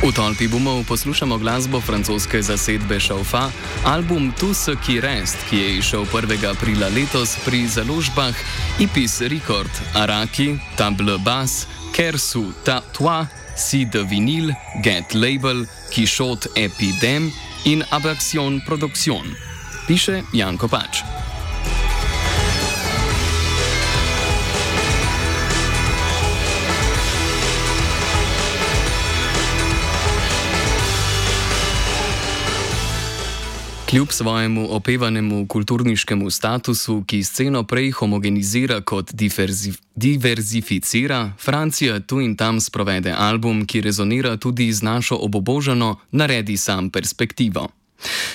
V tolpi bumov poslušamo glasbo francoske zasedbe Chauffat, album Tout ce qui reste, ki je izšel 1. aprila letos pri založbah Ipis Record, Araki, Table Bass, Kersu, Toi, Si de Vinyl, Get Label, Quichotte Epidem in Abaxion Production. Piše Jan Kopač. Kljub svojemu opevanemu kulturniškemu statusu, ki sceno prej homogenizira kot diverzificira, Francija tu in tam sprovede album, ki rezonira tudi z našo obubožano naredi sam perspektivo.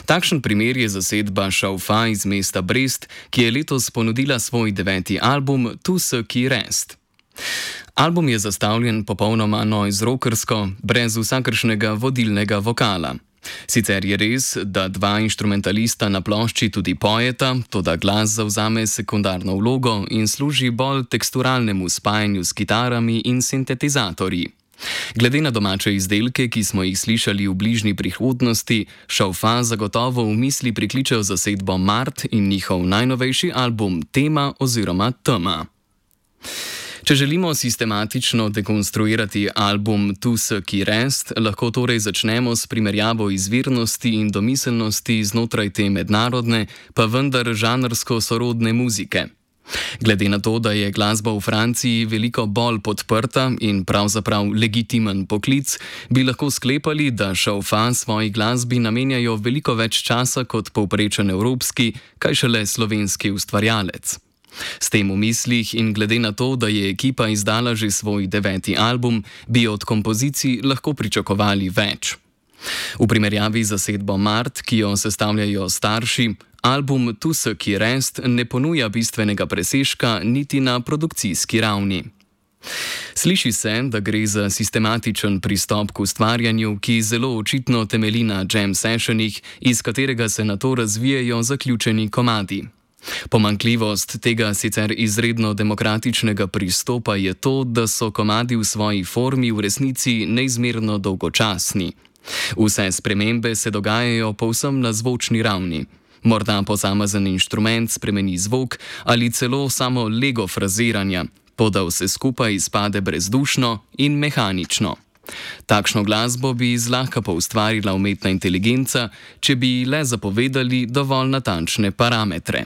Takšen primer je zasedba Chauffat iz mesta Brest, ki je letos ponudila svoj 9. album Tout ce qui reste. Album je zastavljen popolnoma noise-rockersko, brez vsakršnega vodilnega vokala. Sicer je res, da dva inštrumentalista na plošči tudi pojeta, toda glas zavzame sekundarno vlogo in služi bolj teksturalnemu spajanju s kitarami in sintetizatorji. Glede na domače izdelke, ki smo jih slišali v bližnji prihodnosti, Chauffat zagotovo v misli prikličejo zasedbo Mart in njihov najnovejši album Tema oziroma Tema. Če želimo sistematično dekonstruirati album Tout ce qui reste, lahko torej začnemo s primerjavo izvirnosti in domiselnosti znotraj te mednarodne, pa vendar žanrsko sorodne muzike. Glede na to, da je glasba v Franciji veliko bolj podprta in pravzaprav legitimen poklic, bi lahko sklepali, da Chauffat svoji glasbi namenjajo veliko več časa kot povprečen evropski, kaj šele slovenski ustvarjalec. S tem v mislih in glede na to, da je ekipa izdala že svoj 9. album, bi od kompozicij lahko pričakovali več. V primerjavi z zasedbo Mart, ki jo sestavljajo starši, album Tout ce qui reste ne ponuja bistvenega presežka niti na produkcijski ravni. Sliši se, da gre za sistematičen pristop k ustvarjanju, ki zelo očitno temelji na jam sessionih, iz katerega se nato razvijajo zaključeni komadi. Pomanjkljivost tega sicer izredno demokratičnega pristopa je to, da so komadi v svoji formi v resnici neizmerno dolgočasni. Vse spremembe se dogajajo povsem na zvočni ravni. Morda posamezen inštrument spremeni zvok ali celo samo lego fraziranja, toda vse skupaj izpade brezdušno in mehanično. Takšno glasbo bi zlahka poustvarila umetna inteligenca, če bi le zapovedali dovolj natančne parametre.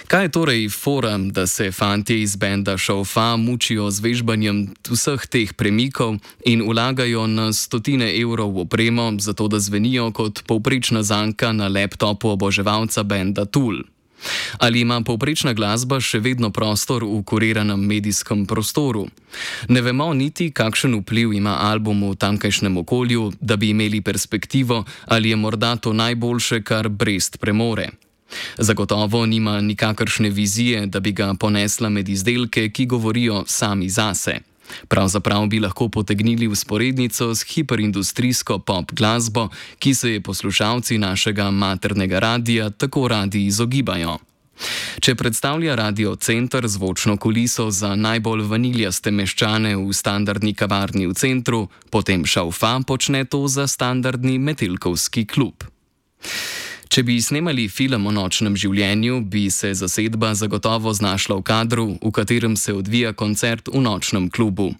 Kaj je torej fora, da se fantje iz benda Chauffat mučijo z vežbanjem vseh teh premikov in vlagajo na stotine evrov v opremo, zato da zvenijo kot povprečna zanka na laptopu oboževalca benda Tool? Ali ima povprečna glasba še vedno prostor v kuriranem medijskem prostoru? Ne vemo niti, kakšen vpliv ima album v tamkajšnjem okolju, da bi imeli perspektivo, ali je morda to najboljše, kar Brest premore. Zagotovo nima nikakršne vizije, da bi ga ponesla med izdelke, ki govorijo sami zase. Pravzaprav bi lahko potegnili vzporednico s hiperindustrijsko pop glasbo, ki se je poslušalci našega maternega radia tako radi izogibajo. Če predstavlja Radio Center zvočno kuliso za najbolj vaniljaste meščane v standardni kavarni v centru, potem Chauffat počne to za standardni metelkovski klub. Če bi snemali film o nočnem življenju, bi se zasedba zagotovo znašla v kadru, v katerem se odvija koncert v nočnem klubu.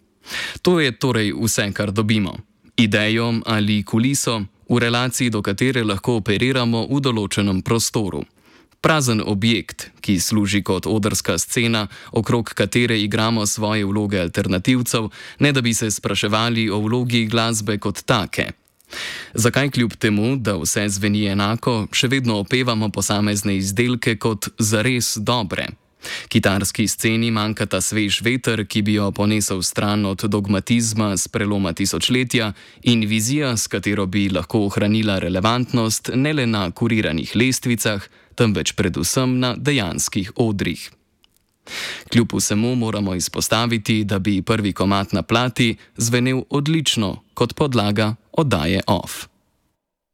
To je torej vse, kar dobimo. Idejo ali kuliso, v relaciji do katere lahko operiramo v določenem prostoru. Prazen objekt, ki služi kot odrska scena, okrog katere igramo svoje vloge alternativcev, ne da bi se spraševali o vlogi glasbe kot take. Zakaj kljub temu, da vse zveni enako, še vedno opevamo posamezne izdelke kot zares dobre? Kitarski sceni manjkata svež veter, ki bi jo ponesel stran od dogmatizma s preloma tisočletja, in vizija, s katero bi lahko ohranila relevantnost ne le na kuriranih lestvicah, temveč predvsem na dejanskih odrih. Kljub vsemu moramo izpostaviti, da bi prvi komad na plati zvenel odlično kot podlaga oddaje Off.